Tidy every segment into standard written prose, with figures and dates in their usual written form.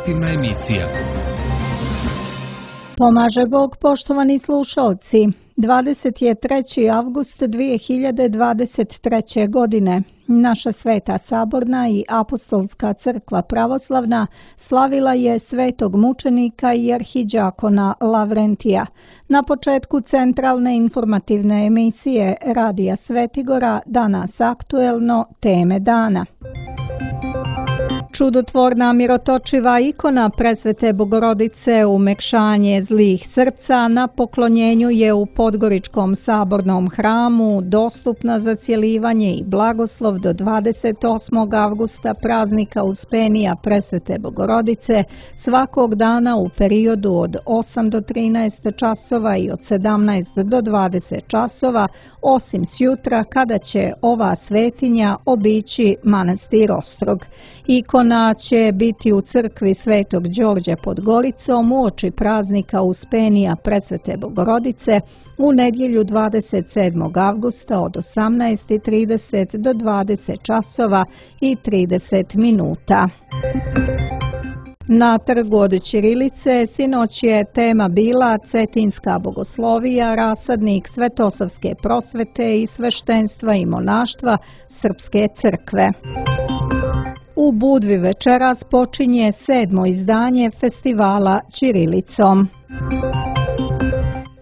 informativna emisija. Pomaže Bog, poštovani slušalci. 23. avgust 2023. godine naša Sveta Saborna i Apostolska crkva pravoslavna slavila je svetog mučenika i arhidžakona Lavrentija. Na početku centralne informativne emisije Radija Svetigora danas aktuelno teme dana. Čudotvorna mirotočiva ikona Presvete Bogorodice umekšanje zlih srca na poklonjenju je u Podgoričkom sabornom hramu dostupna za cjelivanje i blagoslov do 28. avgusta praznika Uspenija Presvete Bogorodice svakog dana u periodu od 8 do 13 časova i od 17 do 20 časova, osim sjutra kada će ova svetinja obići manastir Ostrog. Ikona će biti u crkvi Svetog Đorđa pod Goricom uoči praznika Uspenija Presvete Bogorodice u nedjelju 27. avgusta od 18:30 do 20 časova i 30 minuta. Na trgu od ćirilice sinoć je tema bila Cetinska bogoslovija, rasadnik Svetosavske prosvete i sveštenstva i monaštva Srpske crkve. U Budvi večeras počinje 7. izdanje festivala ćirilicom.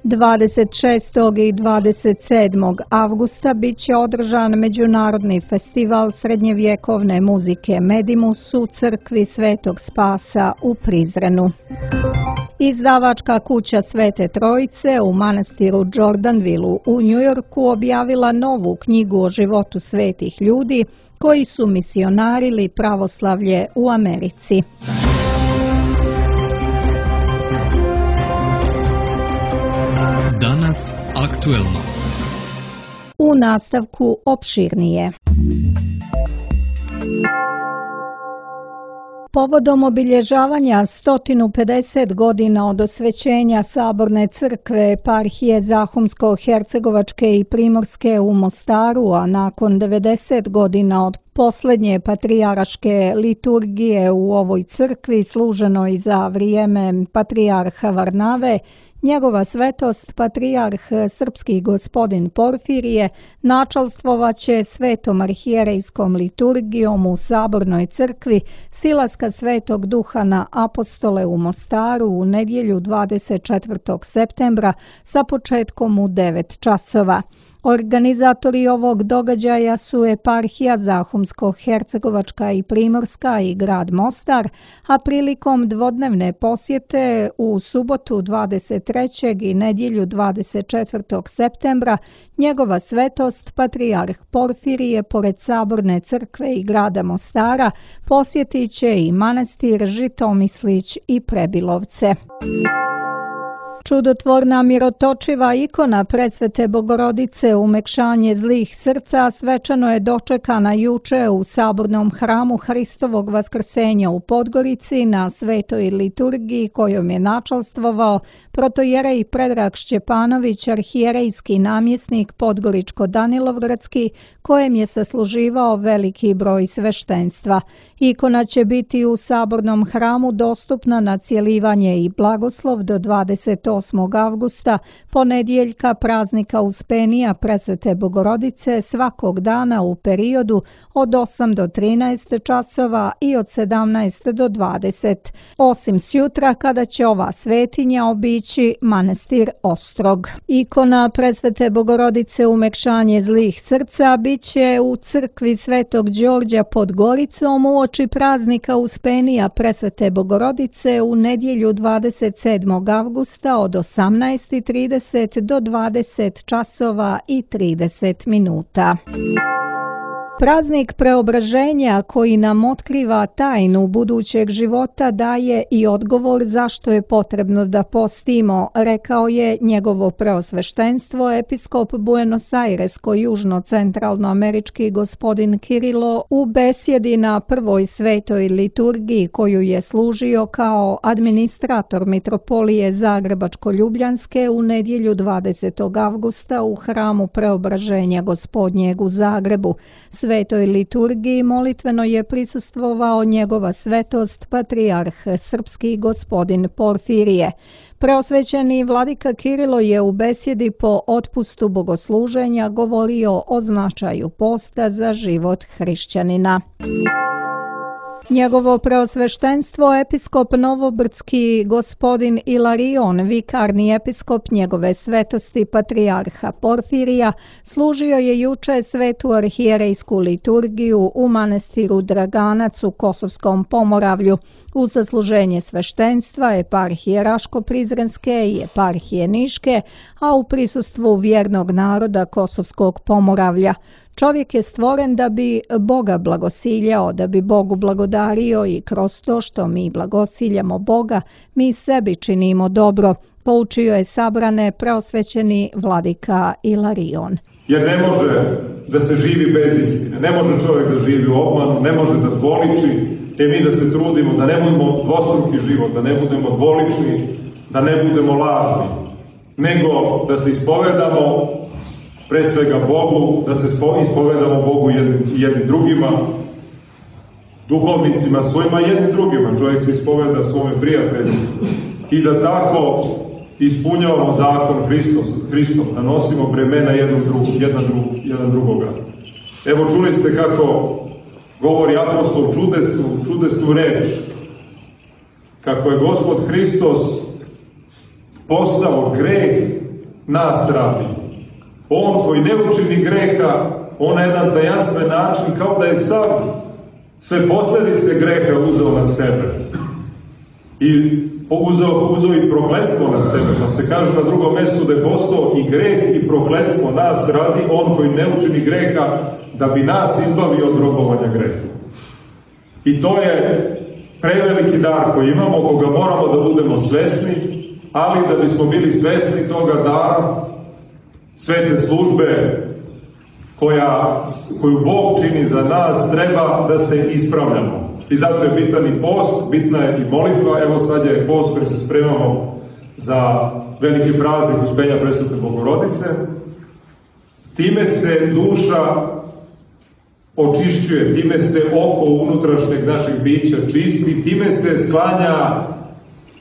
26. i 27. avgusta bit će održan Međunarodni festival srednjevjekovne muzike Medimus u crkvi Svetog Spasa u Prizrenu. Izdavačka kuća Svete Trojice u manastiru Jordanvilu u Njujorku objavila novu knjigu o životu svetih ljudi koji su misionarili pravoslavlje u Americi. Danas aktuelno. U nastavku opširnije. Povodom obilježavanja 150 godina od osvećenja Saborne crkve eparhije Zahumsko-hercegovačke i Primorske u Mostaru, a nakon 90 godina od posljednje patrijaraške liturgije u ovoj crkvi služenoj za vrijeme patrijarha Varnave, njegova svetost patrijarh srpski gospodin Porfirije načalstvovaće svetom arhijerejskom liturgijom u Sabornoj crkvi silaska Svetog Duha na apostole u Mostaru u nedjelju 24. septembra sa početkom u 9 časova. Organizatori ovog događaja su eparhija Zahumsko-hercegovačka i Primorska i grad Mostar, a prilikom dvodnevne posjete u subotu 23. i nedjelju 24. septembra njegova svetost patrijarh Porfirije pored Saborne crkve i grada Mostara posjetit će i manastir Žitomislić i Prebilovce. Čudotvorna mirotočiva ikona Presvete Bogorodice umekšanje zlih srca svečano je dočekana juče u Sabornom hramu Hristovog vaskrsenja u Podgorici na svetoj liturgiji kojom je načalstvovao protojerej Predrag Šćepanović, arhijerejski namjesnik Podgoričko-Danilovgradski, kojem je sasluživao veliki broj sveštenstva. Ikona će biti u Sabornom hramu dostupna na cjelivanje i blagoslov do 28. avgusta, ponedjeljka praznika Uspenija Presvete Bogorodice svakog dana u periodu od 8 do 13 časova i od 17 do 20, osim sjutra kada će ova svetinja obići manastir Ostrog. Ikona Presvete Bogorodice umekšanje zlih srca bit će u crkvi Svetog Đorđa pod Goricom uoči praznika Uspenija Presvete Bogorodice u nedjelju 27. avgusta od 18:30 do 20 časova i 30 minuta. Praznik preobraženja koji nam otkriva tajnu budućeg života daje i odgovor zašto je potrebno da postimo, rekao je njegovo preosveštenstvo episkop Buenos Airesko-južno-centralnoamerički gospodin Kirilo u besjedi na prvoj svetoj liturgiji koju je služio kao administrator mitropolije Zagrebačko-Ljubljanske u nedjelju 20. avgusta u hramu Preobraženja Gospodnjeg u Zagrebu. Svetoj liturgiji molitveno je prisustvovao njegova svetost patrijarh srpski gospodin Porfirije. Preosvećeni vladika Kirilo je u besjedi po otpustu bogosluženja govorio o značaju posta za život hrišćanina. Njegovo preosveštenstvo episkop Novobrdski gospodin Ilarion, vikarni episkop njegove svetosti patrijarha Porfirija, služio je juče svetu arhijerejsku liturgiju u manastiru Draganac u Kosovskom Pomoravlju, uz zasluženje sveštenstva eparhije Raško-Prizrenske i eparhije Niške, a u prisustvu vjernog naroda Kosovskog Pomoravlja. Čovjek je stvoren da bi Boga blagosiljao, da bi Bogu blagodario i kroz to što mi blagosiljamo Boga, mi sebi činimo dobro, poučio je sabrane preosvećeni vladika Ilarion. Jer ne može da se živi bez istine, ne može čovjek da živi u obmanu, ne može da dvoliči, mi da se trudimo da ne budemo dvostruki život, da ne budemo dvolični, da ne budemo lažni, nego da se ispovedamo pre svega Bogu, da se ispovedamo Bogu jednim drugima, duhovnicima svojima jednim drugima, čovjek se ispoveda svome prijatelju i da tako ispunjavamo zakon Hristom, da nosimo bremena jedan drugoga. Evo čuli ste kako govori apostol čudesnu reč, kako je Gospod Hristos postao greh nas radi. On koji ne učini greha, on na jedan tajanstven način, kao da je sam sve posljedice greha uzeo na sebe. I uzeo i prokletstvo na sebe. Pa se kaže na drugom mjestu da je postao i greh i prokletstvo nas radi, on koji ne učini greha, da bi nas izbavio od robovanja greha. I to je preveliki dar koji imamo, koga moramo da budemo svesni, ali da bismo bili svesni toga dara, svete službe koju Bog čini za nas, treba da se ispravljamo. I zato je bitan i post, bitna je i molitva. Evo sad je post koji se spremamo za veliki praznik Uspenja Presvete Bogorodice. Time se duša očišćuje, time se oko unutrašnjeg našeg bića čisti, time se sklanja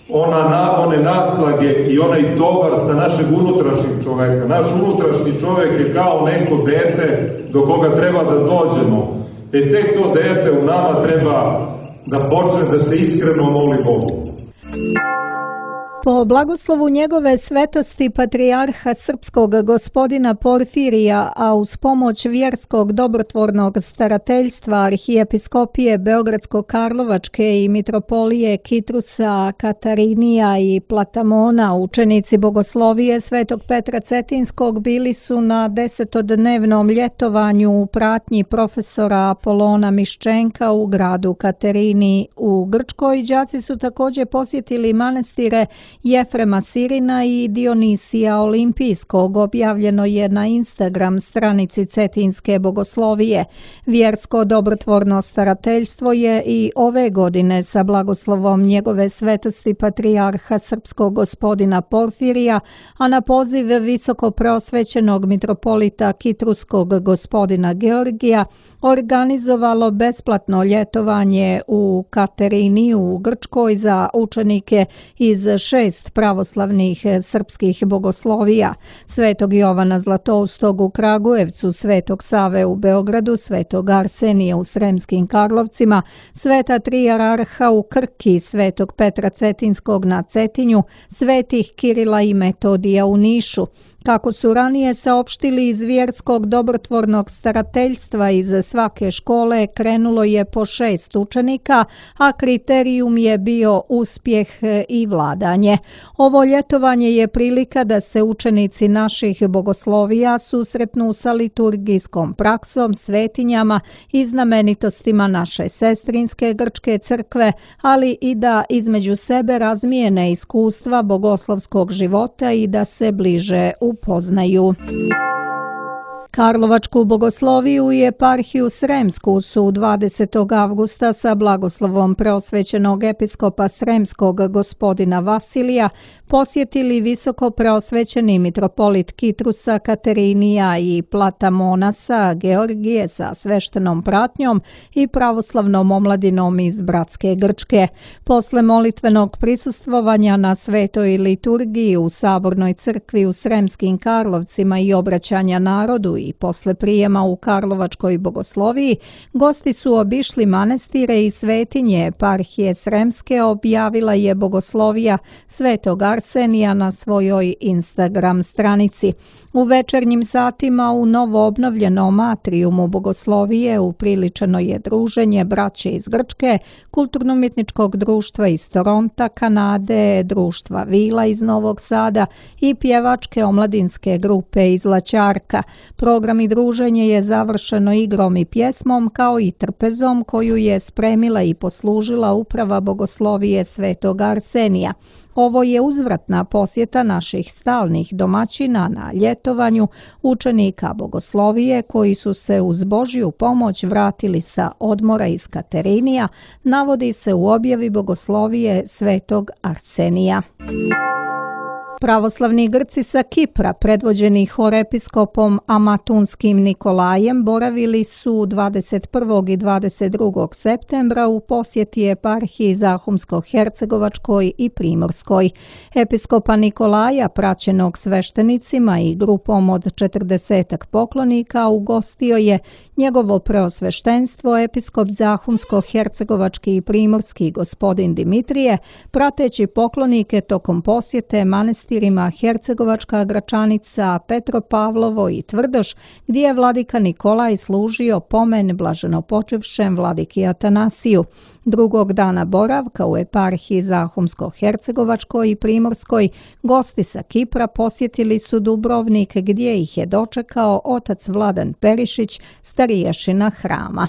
one naslage i onaj tovar sa našeg unutrašnjeg čoveka. Naš unutrašnji čovek je kao neko dete do koga treba da dođemo. Tek to dete u nama treba da počne da se iskreno moli Bogu. Po blagoslovu njegove svetosti patrijarha srpskog gospodina Porfirija, a uz pomoć vjerskog dobrotvornog starateljstva arhijepiskopije Beogradsko-Karlovačke i mitropolije Kitrusa, Katarinija i Platamona, učenici bogoslovije Svetog Petra Cetinskog bili su na 10-dnevnom ljetovanju u pratnji profesora Apolona Miščenka u gradu Katerini u Grčkoj. Đaci su također posjetili manastire Jefrema Sirina i Dionisija Olimpijskog. Objavljeno je na Instagram stranici Cetinske bogoslovije. Vjersko dobrotvorno starateljstvo je i ove godine sa blagoslovom njegove svetosti patrijarha srpskog gospodina Porfirija, a na poziv visoko preosvećenog mitropolita Kitruskog gospodina Georgija, organizovalo besplatno ljetovanje u Katerini u Grčkoj za učenike iz 6 pravoslavnih srpskih bogoslovija: Svetog Jovana Zlatoustog u Kragujevcu, Svetog Save u Beogradu, Svetog Arsenija u Sremskim Karlovcima, Sveta Trijararha u Krki, Svetog Petra Cetinskog na Cetinju, Svetih Kirila i Metodija u Nišu. Kako su ranije saopštili iz vjerskog dobrotvornog starateljstva, iz svake škole krenulo je po 6 učenika, a kriterijum je bio uspjeh i vladanje. Ovo ljetovanje je prilika da se učenici naših bogoslovija susretnu sa liturgijskom praksom, svetinjama i znamenitostima naše sestrinske grčke crkve, ali i da između sebe razmijene iskustva bogoslovskog života i da se bliže upoznaju. Karlovačku bogosloviju i eparhiju Sremsku su 20. avgusta sa blagoslovom preosvećenog episkopa Sremskog gospodina Vasilija posjetili visoko preosvećeni mitropolit Kitrusa Katerinija i Platamonasa Georgije sa sveštenom pratnjom i pravoslavnom omladinom iz bratske Grčke. Posle molitvenog prisustvovanja na svetoj liturgiji u Sabornoj crkvi u Sremskim Karlovcima i obraćanja narodu i posle prijema u Karlovačkoj bogosloviji, gosti su obišli manastire i svetinje eparhije Sremske, objavila je bogoslovija Svetog Arsenija na svojoj Instagram stranici. U večernjim satima u novoobnovljenom atrijumu bogoslovije upriličeno je druženje braće iz Grčke, kulturno-umjetničkog društva iz Toronta, Kanade, društva Vila iz Novog Sada i pjevačke omladinske grupe iz Laćarka. Program i druženje je završeno igrom i pjesmom kao i trpezom koju je spremila i poslužila uprava bogoslovije Svetog Arsenija. Ovo je uzvratna posjeta naših stalnih domaćina na ljetovanju, učenika bogoslovije koji su se uz Božju pomoć vratili sa odmora iz Katerinija, navodi se u objavi bogoslovije Svetog Arsenija. Pravoslavni Grci sa Kipra, predvođeni horepiskopom Amatunskim Nikolajem, boravili su 21. i 22. septembra u posjeti eparhiji Zahumsko-Hercegovačkoj i Primorskoj. Episkopa Nikolaja, praćenog sveštenicima i grupom od 40 poklonika, ugostio je njegovo preosveštenstvo episkop Zahumsko-Hercegovački i Primorski gospodin Dimitrije, prateći poklonike tokom posjete manastirima Hercegovačka Gračanica, Petropavlovo i Tvrdoš, gdje je vladika Nikolaj služio pomen blaženopočivšem vladiki Atanasiju. Drugog dana boravka u eparhiji Zahumsko-Hercegovačkoj i Primorskoj, gosti sa Kipra posjetili su Dubrovnik, gdje ih je dočekao otac Vladan Perišić, stariješina hrama.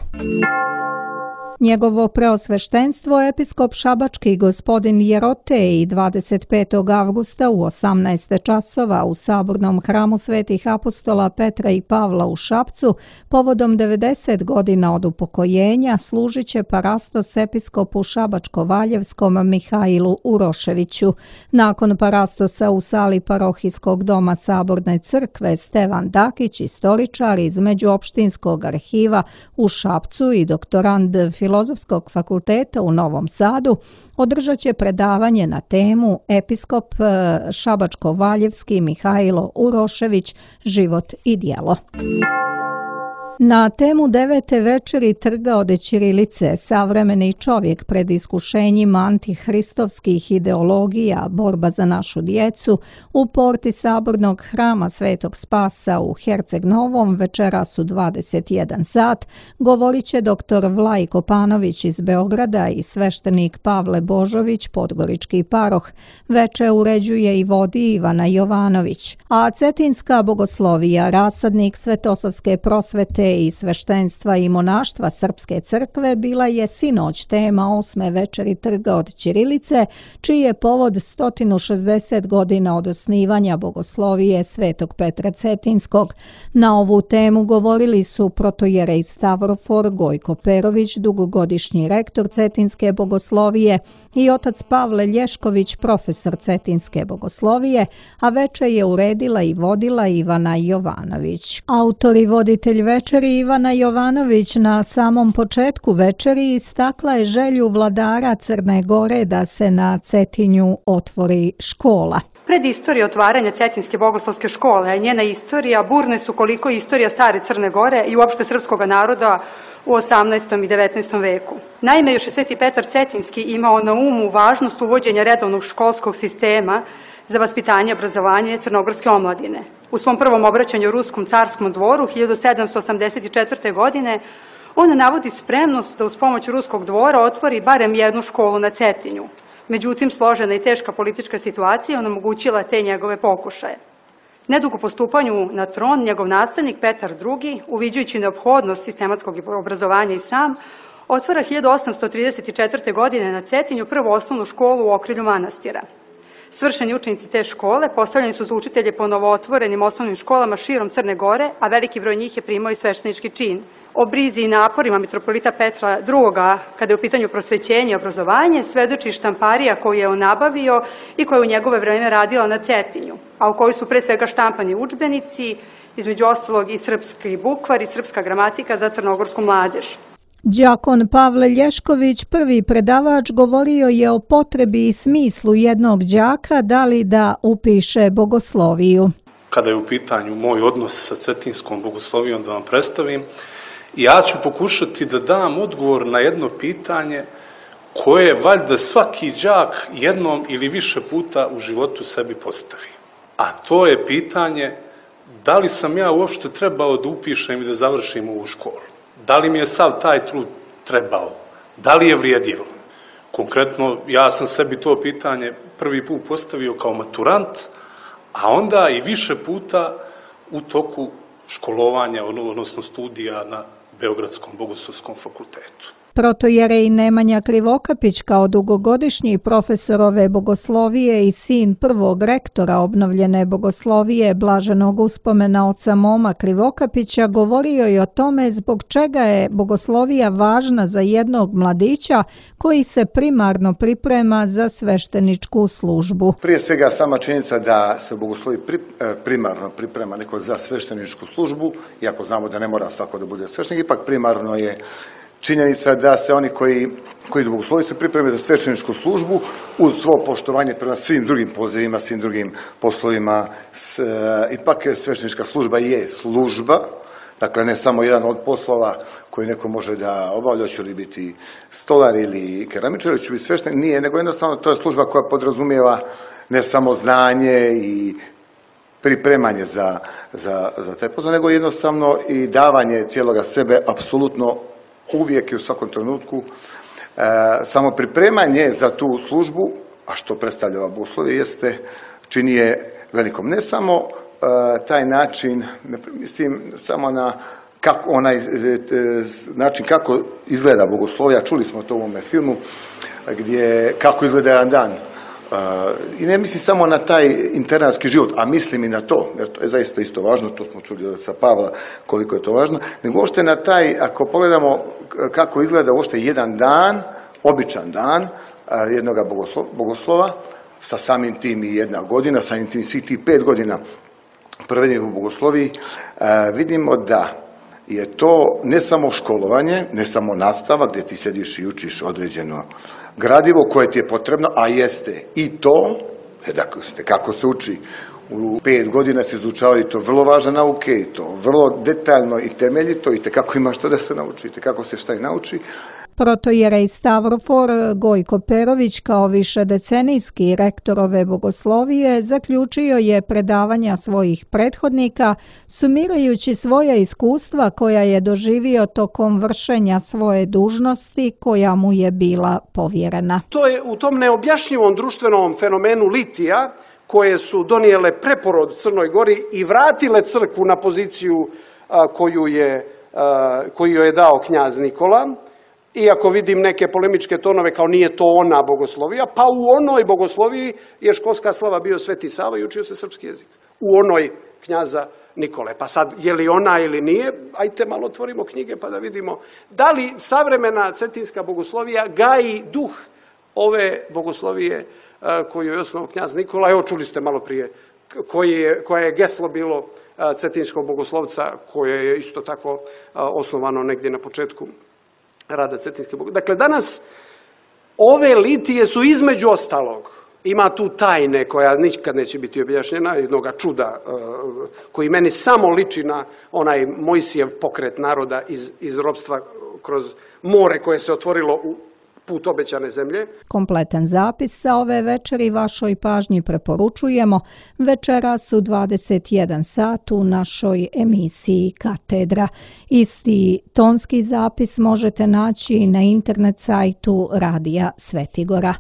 Njegovo preosveštenstvo episkop Šabački gospodin Jerotej 25. avgusta u 18 časova u Sabornom hramu Svetih apostola Petra i Pavla u Šapcu povodom 90 godina od upokojenja služit će parastos episkopu Šabačko-Valjevskom Mihajlu Uroševiću. Nakon parastosa u sali parohijskog doma Saborne crkve Stevan Dakić, istoričar iz Međuopštinskog arhiva u Šapcu i doktorand Filozofskog fakulteta u Novom Sadu, održat će predavanje na temu Episkop Šabačko-Valjevski Mihajlo Urošević, život i djelo. Na temu 9. večeri Trga od ćirilice, savremeni čovjek pred iskušenjima antihristovskih ideologija, borba za našu djecu, u porti Sabornog hrama Svetog Spasa u Herceg Novom večeras u 21 sat govorit će dr. Vlajko Panović iz Beograda i sveštenik Pavle Božović, podgorički paroh. Veče uređuje i vodi Ivana Jovanović. A cetinska bogoslovija, rasadnik Svetosavske prosvete i sveštenstva i monaštva Srpske crkve, bila je sinoć tema 8. večeri Trga od ćirilice, čiji je povod 160 godina od osnivanja bogoslovije Svetog Petra Cetinskog. Na ovu temu govorili su protojerej Stavrofor Gojko Perović, dugogodišnji rektor Cetinske bogoslovije, i otac Pavle Lješković, profesor Cetinske bogoslovije, a veče je uredila i vodila Ivana Jovanović. Autor i voditelj večeri Ivana Jovanović na samom početku večeri istakla je želju vladara Crne Gore da se na Cetinju otvori škola. Pred istorije otvaranja Cetinske bogoslovske škole, a njena istorija burne su koliko istorija stare Crne Gore i uopšte srpskog naroda u 18. i 19. veku. Naime, još je Sveti Petar Cetinski imao na umu važnost uvođenja redovnog školskog sistema za vaspitanje i obrazovanje crnogorske omladine. U svom prvom obraćanju Ruskom carskom dvoru 1784. godine on navodi spremnost da uz pomoć Ruskog dvora otvori barem jednu školu na Cetinju. Međutim, složena i teška politička situacija onemogućila te njegove pokušaje. Nedugo po stupanju na tron, njegov nastavnik Petar II, uviđajući neophodnost sistematskog obrazovanja i sam, otvara 1834. godine na Cetinju prvu osnovnu školu u okrilju manastira. Svršeni učenici te škole postavljeni su za učitelje po novootvorenim osnovnim školama širom Crne Gore, a veliki broj njih je primao i sveštenički čin. O brizi i naporima mitropolita Petra II, kada je u pitanju prosvećenje i obrazovanje, svedoči štamparija koju je on nabavio i koja je u njegove vreme radila na Cetinju, a u kojoj su pre svega štampani udžbenici, između ostalog i srpski bukvar i srpska gramatika za crnogorsku mladež. Đakon Pavle Lješković, prvi predavač, govorio je o potrebi i smislu jednog đaka da li da upiše bogosloviju. Kada je u pitanju moj odnos sa Cetinskom bogoslovijom da vam predstavim, ja ću pokušati da dam odgovor na jedno pitanje koje valjda svaki đak jednom ili više puta u životu sebi postavi. A to je pitanje da li sam ja uopšte trebao da upišem i da završim ovu školu. Da li mi je sav taj trud trebao? Da li je vrijedilo? Konkretno, ja sam sebi to pitanje prvi put postavio kao maturant, a onda i više puta u toku školovanja, odnosno studija na Beogradskom bogoslovskom fakultetu. Protojerej Nemanja Krivokapić, kao dugogodišnji profesor ove bogoslovije i sin prvog rektora obnovljene bogoslovije blaženog uspomena oca Moma Krivokapića, govorio je o tome zbog čega je bogoslovija važna za jednog mladića koji se primarno priprema za svešteničku službu. Prije svega sama činjenica da se bogoslovi primarno priprema neko za svešteničku službu, iako znamo da ne mora svako da bude sveštenik, ipak primarno je činjenica da se oni koji bogoslovi se pripreme za svešteničku službu uz svo poštovanje prema svim drugim pozivima, svim drugim poslovima. Ipak sveštenička služba je služba, dakle ne samo jedan od poslova koji neko može da obavlja, će li biti stolar ili keramičar, ili će biti sveštenik, nije, nego jednostavno to je služba koja podrazumijeva ne samo znanje i pripremanje za taj posao, nego jednostavno i davanje cijeloga sebe apsolutno uvijek i u svakom trenutku. Samo pripremanje za tu službu, a što predstavlja ova bogoslovija, čini je velikom. Ne samo taj način, mislim samo na onaj način kako izgleda bogoslovija, čuli smo to u ovome filmu, kako izgleda jedan dan. I ne mislim samo na taj internatski život, a mislim i na to, jer to je zaista isto važno, to smo čuli od Pavla koliko je to važno, nego uopšte na taj, ako pogledamo kako izgleda uopšte jedan dan, običan dan jednog bogoslova, sa samim tim i jedna godina, samim tim svih tih 5 godina provedenih u bogosloviji, vidimo da je to ne samo školovanje, ne samo nastava gdje ti sediš i učiš određeno gradivo koje ti je potrebno, a jeste i to, dakle, kako se uči u 5 godina se izučavaju to vrlo važne nauke i to vrlo detaljno i temeljito i kako ima što da se nauči, kako se šta i nauči. Protojerej Stavrofor Gojko Perović, kao višedecenijski rektor ove bogoslovije, zaključio je predavanja svojih prethodnika, sumirajući svoja iskustva koja je doživio tokom vršenja svoje dužnosti koja mu je bila povjerena. To je u tom neobjašnjivom društvenom fenomenu litija, koje su donijele preporod Crnoj Gori i vratile crkvu na poziciju koju je dao knjaz Nikola, iako vidim neke polemičke tonove kao nije to ona bogoslovija, pa u onoj bogosloviji je školska slava bio Sveti Sava i učio se srpski jezik. U onoj knjaza Nikole. Pa sad, je li ona ili nije, ajte malo otvorimo knjige pa da vidimo da li savremena cetinska bogoslovija gaji duh ove bogoslovije koju je osnovao knjaz Nikola. Evo, čuli ste malo prije koje je geslo bilo cetinskog bogoslovca, koje je isto tako osnovano negdje na početku rada cetinske bogoslovije. Dakle, danas ove litije su između ostalog, ima tu tajne koja nikad neće biti objašnjena, jednoga čuda koji meni samo liči na onaj Mojsijev pokret naroda iz ropstva kroz more koje se otvorilo u put obećane zemlje. Kompletan zapis sa ove večeri vašoj pažnji preporučujemo večeras u 21 sat u našoj emisiji Katedra. Isti tonski zapis možete naći na internet sajtu Radija Svetigora.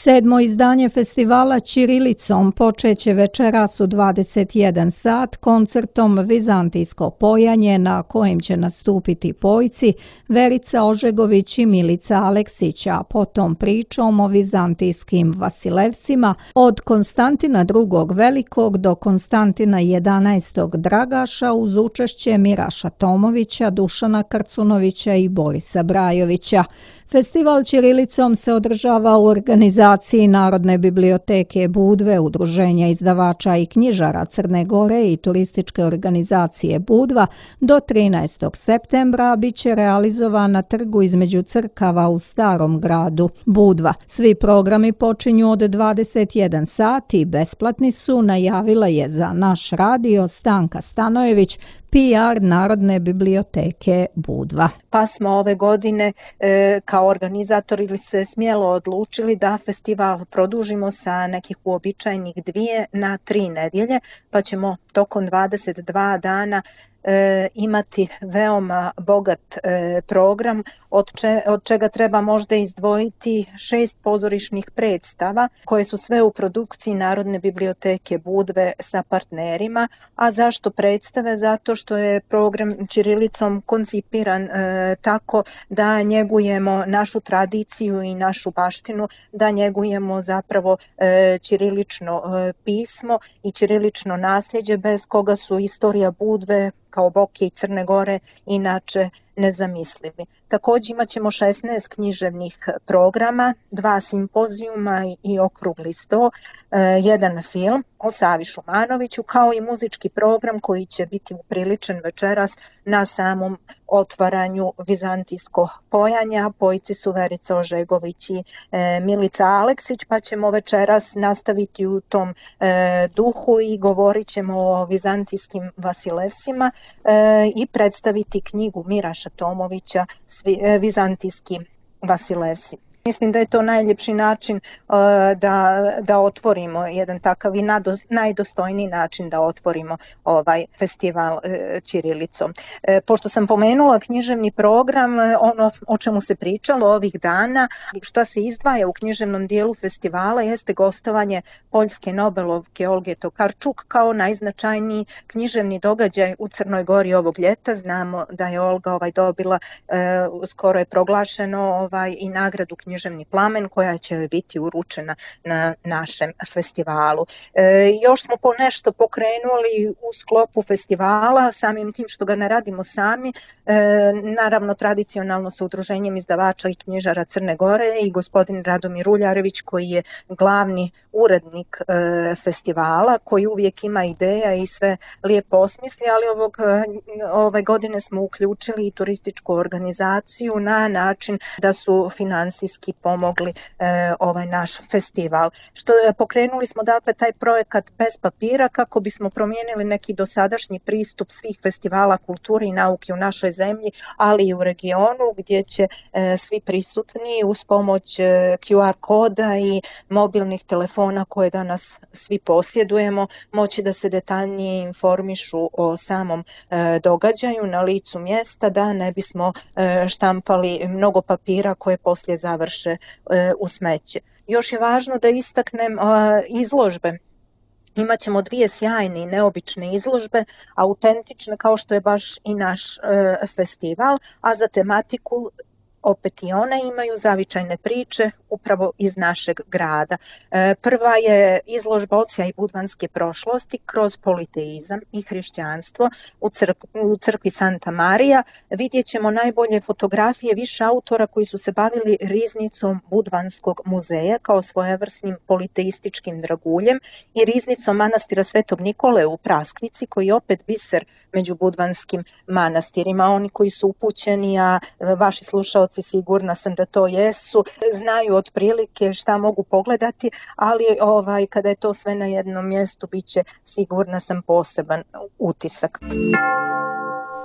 7. izdanje festivala Ćirilicom počeće večeras u 21 sat koncertom Vizantijsko pojanje na kojem će nastupiti pojci Verica Ožegović i Milica Aleksić, a potom pričom o vizantijskim Vasilevsima od Konstantina II. Velikog do Konstantina XI. Dragaša uz učešće Miraša Tomovića, Dušana Krcunovića i Borisa Brajovića. Festival Ćirilicom se održava u organizaciji Narodne biblioteke Budve, Udruženja izdavača i knjižara Crne Gore i turističke organizacije Budva do 13. septembra bit će realizovan na trgu između crkava u Starom gradu Budva. Svi programi počinju od 21 sati i besplatni su, najavila je za naš radio Stanka Stanojević, PR Narodne biblioteke Budva. Pa smo ove godine kao organizatori se smjelo odlučili da festival produžimo sa nekih uobičajenih 2 na 3 nedjelje, pa ćemo tokom 22 dana imati veoma bogat program, od čega treba možda izdvojiti 6 pozorišnih predstava koje su sve u produkciji Narodne biblioteke Budve sa partnerima. A zašto predstave? Zato što je program Ćirilicom koncipiran tako da njegujemo našu tradiciju i našu baštinu, da njegujemo zapravo ćirilično pismo i ćirilično nasljeđe bez koga su istorija Budve kao Boke i Crne Gore inače nezamislivi. Također imat ćemo 16 književnih programa, 2 simpozijuma i okrugli sto, 1 film o Savi Šumanoviću, kao i muzički program koji će biti upriličen večeras na samom otvaranju Vizantijskog pojanja. Pojci su Verica Ožegović i Milica Aleksić, pa ćemo večeras nastaviti u tom duhu i govorit ćemo o vizantijskim Vasilevsima i predstaviti knjigu Miraša Tomovića Vizantijski Vasilevsi. Mislim da je to najljepši način da otvorimo jedan takav i najdostojniji način da otvorimo ovaj festival ćirilicom. Pošto sam pomenula književni program, ono o čemu se pričalo ovih dana, šta se izdvaja u književnom dijelu festivala jeste gostovanje poljske Nobelovke Olge Tokarčuk kao najznačajniji književni događaj u Crnoj Gori ovog ljeta. Znamo da je Olga dobila, skoro je proglašeno i nagradu Književni plamen koja će biti uručena na našem festivalu. Još smo nešto pokrenuli u sklopu festivala, samim tim što ga ne radimo sami, naravno tradicionalno sa Udruženjem izdavača i knjižara Crne Gore i gospodin Radomir Uljarević koji je glavni urednik festivala, koji uvijek ima ideja i sve lijepo osmisli, ali ove godine smo uključili i turističku organizaciju na način da su finansijski pomogli ovaj naš festival. Pokrenuli smo dakle taj projekat bez papira kako bismo promijenili neki dosadašnji pristup svih festivala kulture i nauke u našoj zemlji, ali i u regionu gdje će svi prisutni uz pomoć QR koda i mobilnih telefona koje danas svi posjedujemo moći da se detaljnije informišu o samom događaju na licu mjesta, da ne bismo štampali mnogo papira koje poslije završe u smeće. Još je važno da istaknem izložbe. Imaćemo 2 sjajne i neobične izložbe, autentične kao što je baš i naš festival, a za tematiku opet i one imaju zavičajne priče upravo iz našeg grada. Prva je izložba Odsjaj budvanske prošlosti kroz politeizam i hrišćanstvo u crkvi Santa Marija. Vidjet ćemo najbolje fotografije više autora koji su se bavili riznicom Budvanskog muzeja kao svojevrsnim politeističkim draguljem i riznicom manastira Svetog Nikole u Praskvici koji je opet biser među budvanskim manastirima. Oni koji su upućeni, a vaši slušalci sigurna sam da to jesu, znaju otprilike šta mogu pogledati, ali kada je to sve na jednom mjestu bit će sigurna sam poseban utisak.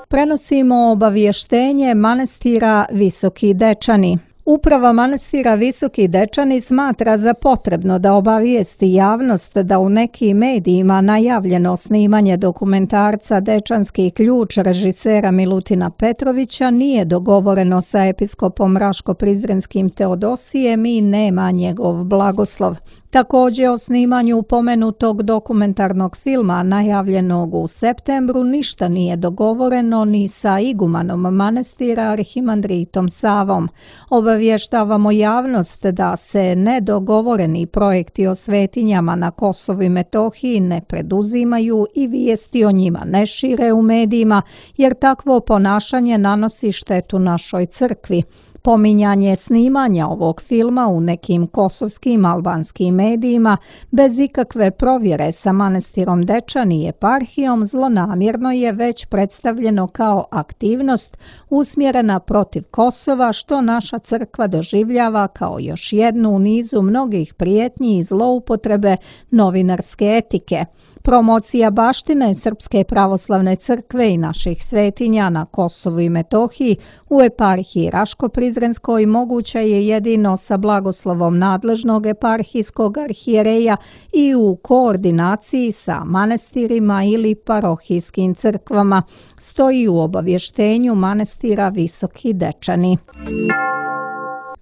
Prenosimo obavještenje manastira Visoki Dečani. Uprava manastira Visoki Dečani smatra za potrebno da obavijesti javnost da u nekim medijima najavljeno snimanje dokumentarca Dečanski ključ režisera Milutina Petrovića nije dogovoreno sa episkopom Raško-Prizrenskim Teodosijem i nema njegov blagoslov. Također o snimanju pomenutog dokumentarnog filma najavljenog u septembru ništa nije dogovoreno ni sa igumanom manastira Arhimandritom Savom. Obavještavamo javnost da se nedogovoreni projekti o svetinjama na Kosovu i Metohiji ne preduzimaju i vijesti o njima ne šire u medijima, jer takvo ponašanje nanosi štetu našoj crkvi. Pominjanje snimanja ovog filma u nekim kosovskim albanskim medijima bez ikakve provjere sa manastirom Dečani i eparhijom zlonamjerno je već predstavljeno kao aktivnost usmjerena protiv Kosova, što naša crkva doživljava kao još jednu u nizu mnogih prijetnji i zloupotrebe novinarske etike. Promocija baštine Srpske pravoslavne crkve i naših svetinja na Kosovu i Metohiji u eparhiji Raško-Prizrenskoj moguća je jedino sa blagoslovom nadležnog eparhijskog arhijereja i u koordinaciji sa manastirima ili parohijskim crkvama, stoji u obavještenju manastira Visoki Dečani.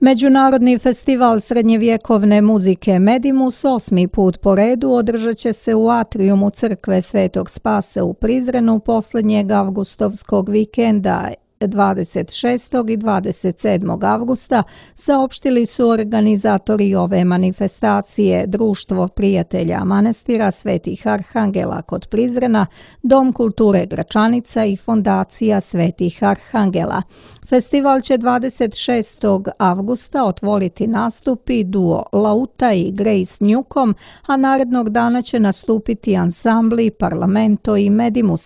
Međunarodni festival srednjevjekovne muzike Medimus 8. put po redu održat će se u atrijumu crkve Svetog Spasa u Prizrenu posljednjeg avgustovskog vikenda 26. i 27. avgusta, saopštili su organizatori ove manifestacije Društvo prijatelja manastira Svetih Arhangela kod Prizrena, Dom kulture Gračanica i Fondacija Svetih Arhangela. Festival će 26. avgusta otvoriti nastupi duo Lauta i Grace Newcomb, a narednog dana će nastupiti ansambli Parlamento i Medimus.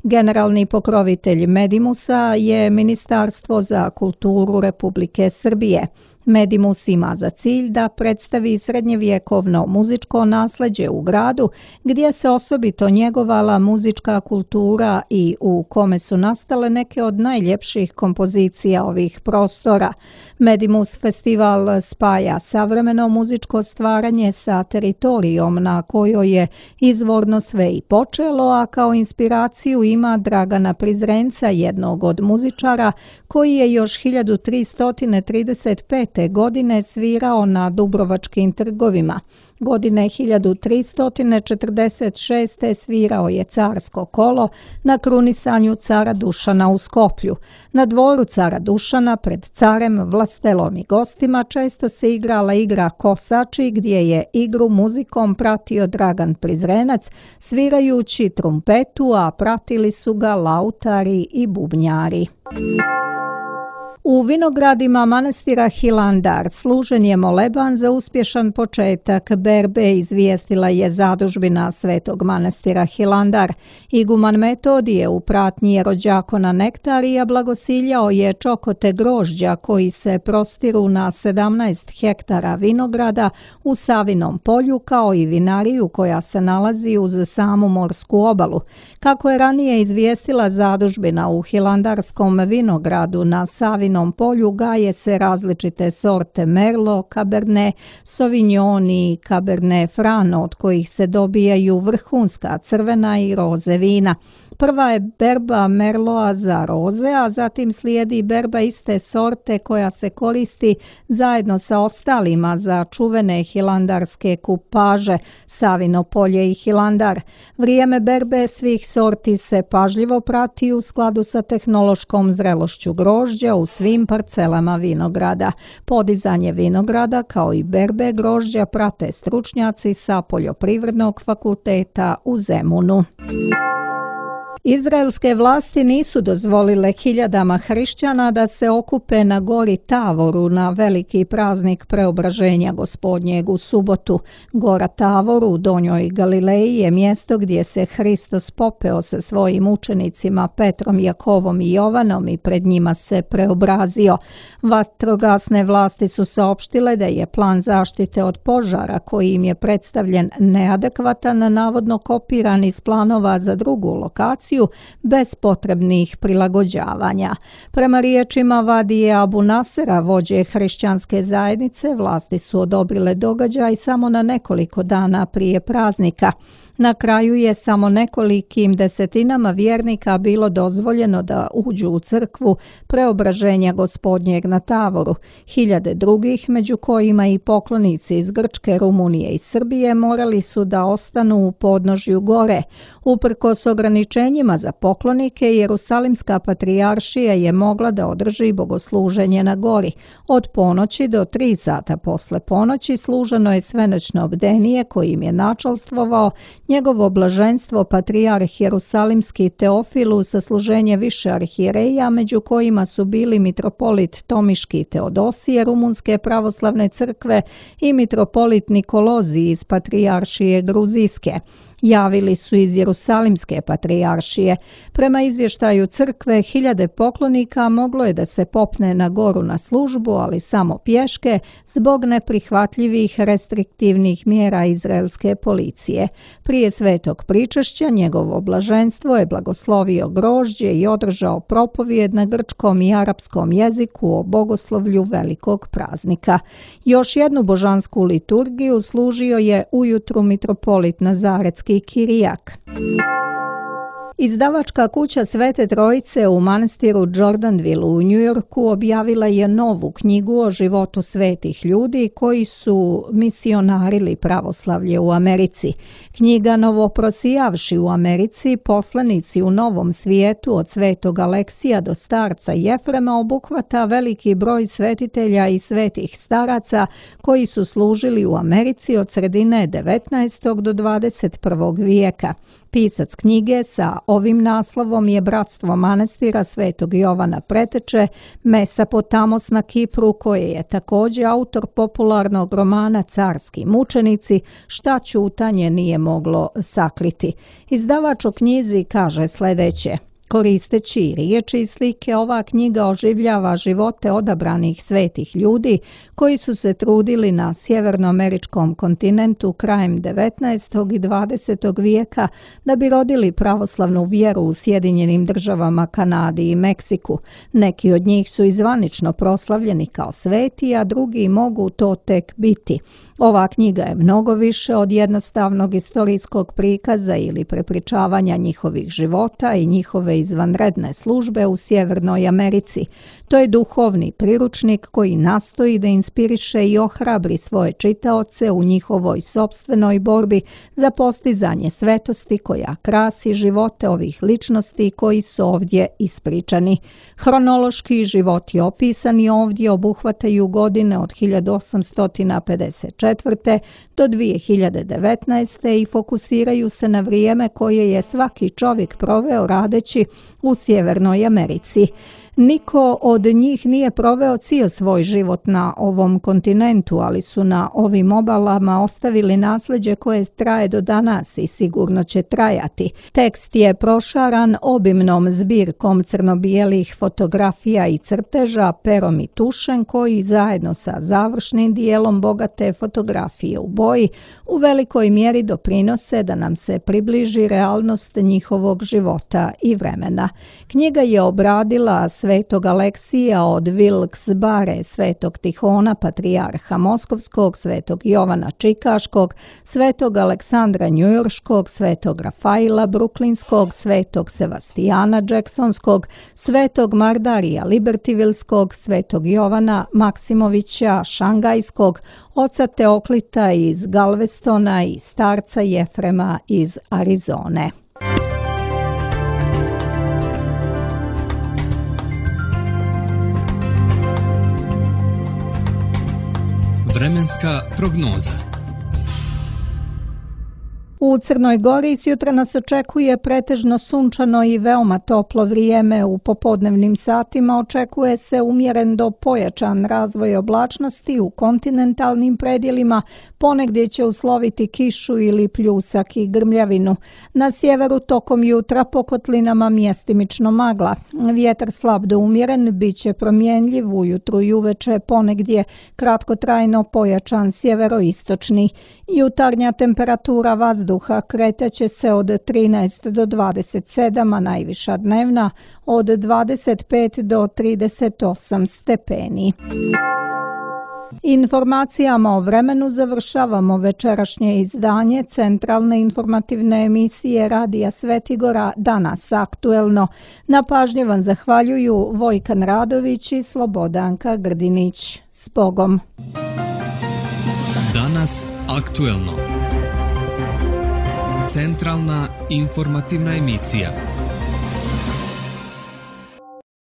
Generalni pokrovitelj Medimusa je Ministarstvo za kulturu Republike Srbije. Medimus ima za cilj da predstavi srednjevjekovno muzičko nasljeđe u gradu, gdje se osobito njegovala muzička kultura i u kome su nastale neke od najljepših kompozicija ovih prostora. Medimus festival spaja savremeno muzičko stvaranje sa teritorijom na kojoj je izvorno sve i počelo, a kao inspiraciju ima Dragana Prizrenca, jednog od muzičara koji je još 1335. godine svirao na Dubrovačkim trgovima. Godine 1346. svirao je carsko kolo na krunisanju cara Dušana u Skoplju. Na dvoru cara Dušana pred carem, vlastelom i gostima često se igrala igra Kosači, gdje je igru muzikom pratio Dragan Prizrenac, svirajući trumpetu, a pratili su ga lautari i bubnjari. U vinogradima manastira Hilandar služen je moleban za uspješan početak berbe, izvijestila je zadužbina Svetog manastira Hilandar. Iguman Metodije u pratnji rođakona Nektarija blagosiljao je čokote grožđa koji se prostiru na 17 hektara vinograda u Savinom polju, kao i vinariju koja se nalazi uz samu morsku obalu. Kako je ranije izvijestila zadužbina, u Hilandarskom vinogradu na Savinom polju gaje se različite sorte Merlot, Cabernet Sauvignon i Cabernet Franc, od kojih se dobijaju vrhunska crvena i roze vina. Prva je berba Merloa za roze, a zatim slijedi berba iste sorte koja se koristi zajedno sa ostalima za čuvene hilandarske kupaže Savino polje i Hilandar. Vrijeme berbe svih sorti se pažljivo prati u skladu sa tehnološkom zrelošću grožđa u svim parcelama vinograda. Podizanje vinograda kao i berbe grožđa prate stručnjaci sa Poljoprivrednog fakulteta u Zemunu. Izraelske vlasti nisu dozvolile hiljadama hrišćana da se okupe na gori Tavoru na veliki praznik Preobraženja Gospodnjeg u subotu. Gora Tavor u Donjoj Galileji je mjesto gdje se Hristos popeo sa svojim učenicima Petrom, Jakovom i Jovanom i pred njima se preobrazio. Vatrogasne vlasti su saopštile da je plan zaštite od požara koji im je predstavljen neadekvatan, navodno kopiran iz planova za drugu lokaciju situaciju bez potrebnih prilagođavanja. Prema riječima Vadije Abu Nasera, vođe hrišćanske zajednice, vlasti su odobrile događaj samo na nekoliko dana prije praznika. Na kraju je samo nekolikim desetinama vjernika bilo dozvoljeno da uđu u crkvu Preobraženja Gospodnjeg na Tavoru. Hiljade drugih, među kojima i poklonici iz Grčke, Rumunije i Srbije, morali su da ostanu u podnožju gore. Uprkos ograničenjima za poklonike, Jerusalimska patrijaršija je mogla da održi bogosluženje na gori. Od ponoći do 3 sata posle ponoći služeno je svenoćno bdenije kojim je načalstvovao njegovo blaženstvo patrijarh Jerusalimski Teofilu sa služenje više arhijereja, među kojima su bili mitropolit Tomiški Teodosije Rumunske pravoslavne crkve i mitropolit Nikolozi iz patrijaršije Gruzijske. Javili su iz Jerusalimske patrijaršije. Prema izvještaju crkve, hiljade poklonika moglo je da se popne na goru na službu, ali samo pješke, zbog neprihvatljivih restriktivnih mjera izraelske policije. Prije svetog pričešća njegovo blaženstvo je blagoslovio grožđe i održao propovijed na grčkom i arapskom jeziku o bogoslovlju velikog praznika. Još jednu božansku liturgiju služio je ujutru mitropolit Nazaretski Kirijak. Izdavačka kuća Svete Trojice u manastiru Jordanville u Njujorku objavila je novu knjigu o životu svetih ljudi koji su misionarili pravoslavlje u Americi. Knjiga Novoprosijavši u Americi, poslanici u Novom svijetu od svetog Aleksija do starca Jefrema obuhvata veliki broj svetitelja i svetih staraca koji su služili u Americi od sredine 19. do 21. vijeka. Pisac knjige sa ovim naslovom je Bratstvo manastira Svetog Jovana Preteče, Mesopotamos na Kipru, koje je također autor popularnog romana Carski mučenici, šta ćutanje nije moglo sakriti. Izdavač o knjizi kaže sljedeće: koristeći riječi i slike, ova knjiga oživljava živote odabranih svetih ljudi koji su se trudili na sjevernoameričkom kontinentu krajem 19. i 20. vijeka da bi rodili pravoslavnu vjeru u Sjedinjenim Državama, Kanadi i Meksiku. Neki od njih su izvanično proslavljeni kao sveti, a drugi mogu to tek biti. Ova knjiga je mnogo više od jednostavnog istorijskog prikaza ili prepričavanja njihovih života i njihove izvanredne službe u Sjevernoj Americi. To je duhovni priručnik koji nastoji da inspiriše i ohrabri svoje čitaoce u njihovoj sopstvenoj borbi za postizanje svetosti koja krasi živote ovih ličnosti koji su ovdje ispričani. Hronološki životi opisani ovdje obuhvataju godine od 1854. do 2019. i fokusiraju se na vrijeme koje je svaki čovjek proveo radeći u Sjevernoj Americi. Niko od njih nije proveo cijel svoj život na ovom kontinentu, ali su na ovim obalama ostavili nasljeđe koje traje do danas i sigurno će trajati. Tekst je prošaran obimnom zbirkom crno-bijelih fotografija i crteža, perom i tušem, koji zajedno sa završnim dijelom bogate fotografije u boji u velikoj mjeri doprinose da nam se približi realnost njihovog života i vremena. Knjiga je obradila svetog Aleksija od Wilkes-Barre, svetog Tihona, patrijarha Moskovskog, svetog Jovana Čikaškog, svetog Aleksandra Njujorškog, svetog Rafaila Bruklinskog, svetog Sevastijana Jacksonskog, svetog Mardarija Libertivilskog, svetog Jovana Maksimovića Šangajskog, oca Teoklita iz Galvestona i starca Jefrema iz Arizone. Vremenska prognoza. U Crnoj Gori sjutra nas očekuje pretežno sunčano i veoma toplo vrijeme. U popodnevnim satima očekuje se umjeren do pojačan razvoj oblačnosti u kontinentalnim predjelima, Ponegdje će usloviti kišu ili pljusak i grmljavinu. Na sjeveru tokom jutra po kotlinama mjestimično magla. Vjetar slab do umjeren, bit će promjenljiv ujutru i uveče, ponegdje kratkotrajno pojačan sjeveroistočni. Jutarnja temperatura vazduha kretaće se od 13 do 27, a najviša dnevna od 25 do 38 stepeni. Informacijama o vremenu završavamo večerašnje izdanje centralne informativne emisije Radija Svetigora Danas aktuelno. Na pažnji vam zahvaljuju Vojkan Radović i Slobodanka Grdinić. S Bogom! Danas aktuelno. Centralna informativna emisija.